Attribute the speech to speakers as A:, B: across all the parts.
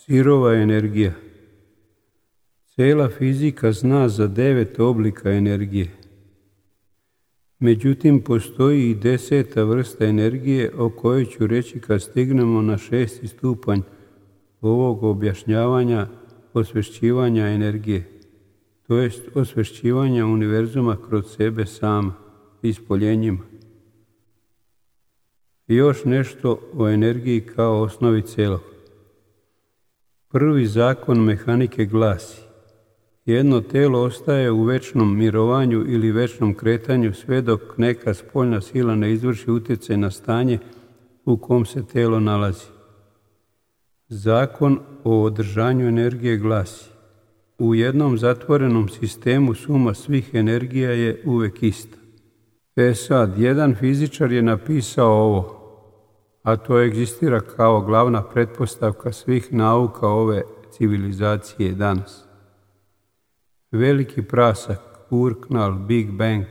A: Sirova energija. Cela fizika zna za 9 oblika energije. Međutim, postoji i 10. vrsta energije o kojoj ću reći kad stignemo na 6. stupanj ovog objašnjavanja osvešćivanja energije, to jest osvešćivanja univerzuma kroz sebe sama, ispoljenjima. I još nešto o energiji kao osnovi celog. Prvi zakon mehanike glasi: jedno telo ostaje u večnom mirovanju ili večnom kretanju sve dok neka spoljna sila ne izvrši utjecaj na stanje u kom se telo nalazi. Zakon o održanju energije glasi: u jednom zatvorenom sistemu suma svih energija je uvek ista. Sad, jedan fizičar je napisao ovo, a to egzistira kao glavna pretpostavka svih nauka ove civilizacije danas. Veliki prasak, urknal, Big Bang,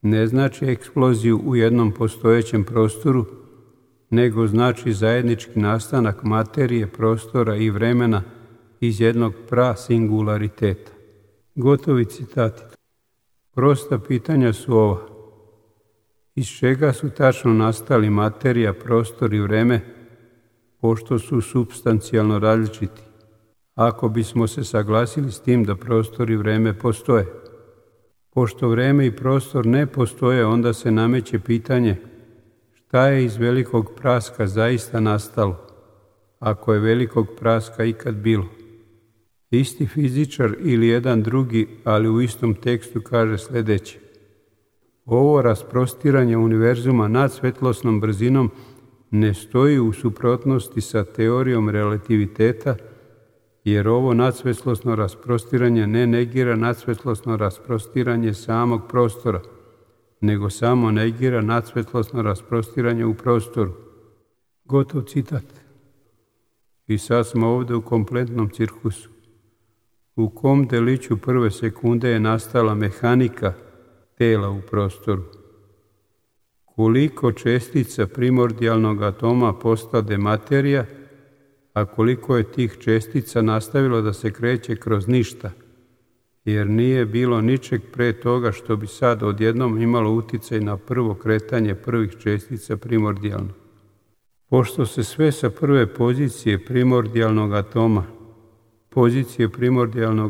A: ne znači eksploziju u jednom postojećem prostoru, nego znači zajednički nastanak materije, prostora i vremena iz jednog prasingulariteta. Gotovi citati. Prosta pitanja su ova: iz čega su tačno nastali materija, prostor i vreme, pošto su supstancijalno različiti? Ako bismo se saglasili s tim da prostor i vreme postoje. Pošto vreme i prostor ne postoje, onda se nameće pitanje: šta je iz velikog praska zaista nastalo, ako je velikog praska ikad bilo? Isti fizičar ili jedan drugi, ali u istom tekstu kaže sljedeće: ovo rasprostiranje univerzuma nad svetlosnom brzinom ne stoji u suprotnosti sa teorijom relativiteta, jer ovo nadsvetlosno rasprostiranje ne negira nadsvetlosno rasprostiranje samog prostora, nego samo negira nadsvetlosno rasprostiranje u prostoru. Gotov citat. I sad smo ovdje u kompletnom cirkusu. U kom deliću prve sekunde je nastala mehanika tela u prostoru? Koliko čestica primordijalnog atoma postade materija, a koliko je tih čestica nastavilo da se kreće kroz ništa, jer nije bilo ničeg pre toga što bi sad odjednom imalo uticaj na prvo kretanje prvih čestica primordijalnog. Pošto se sve sa prve pozicije primordijalnog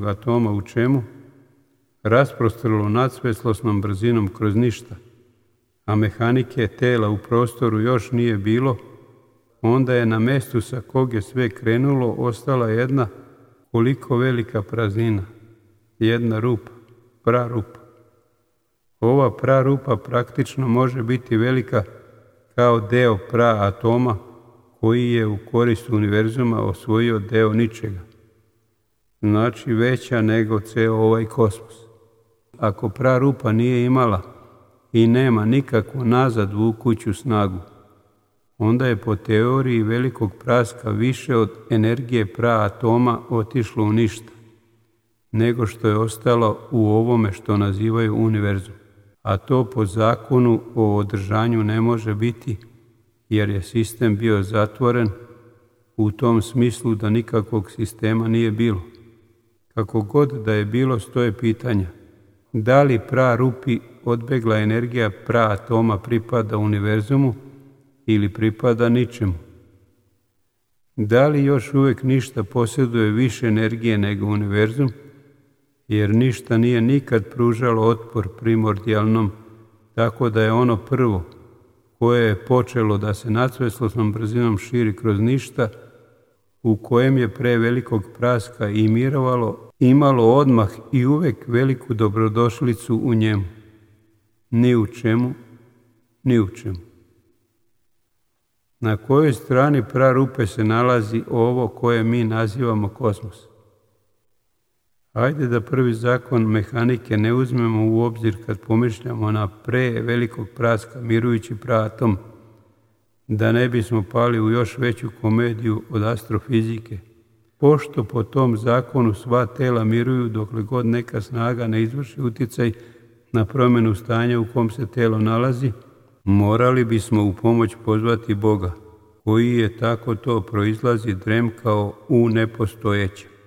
A: atoma u čemu? Rasprostrlo nadsvetlosnom brzinom kroz ništa, a mehanike tela u prostoru još nije bilo, onda je na mestu sa kog je sve krenulo ostala jedna koliko velika praznina, jedna rupa, prarupa. Ova prarupa praktično može biti velika kao deo praatoma koji je u korist univerzuma osvojio deo ničega. Znači veća nego ceo ovaj kosmos. Ako prarupa nije imala i nema nikakvu nazad vukuću snagu, onda je po teoriji velikog praska više od energije praatoma otišlo u ništa, nego što je ostalo u ovome što nazivaju univerzum. A to po zakonu o održanju ne može biti, jer je sistem bio zatvoren u tom smislu da nikakvog sistema nije bilo. Kako god da je bilo, stoje pitanja: da li prarupi odbegla energija praatoma pripada univerzumu ili pripada ničemu? Da li još uvijek ništa posjeduje više energije nego univerzum, jer ništa nije nikad pružalo otpor primordijalnom, tako da je ono prvo koje je počelo da se nadsvetlosnom brzinom širi kroz ništa, u kojem je pre velikog praska i mirovalo, imalo odmah i uvek veliku dobrodošlicu u njemu. Ni u čemu, ni u čemu. Na kojoj strani prarupe se nalazi ovo koje mi nazivamo kosmos? Ajde da prvi zakon mehanike ne uzmemo u obzir kad pomišljamo na pre velikog praska mirujući praatom, da ne bismo pali u još veću komediju od astrofizike. Pošto po tom zakonu sva tela miruju dokle god neka snaga ne izvrši utjecaj na promjenu stanja u kom se telo nalazi, morali bismo u pomoć pozvati Boga, koji je tako to proizlazi dremkao u nepostojećem.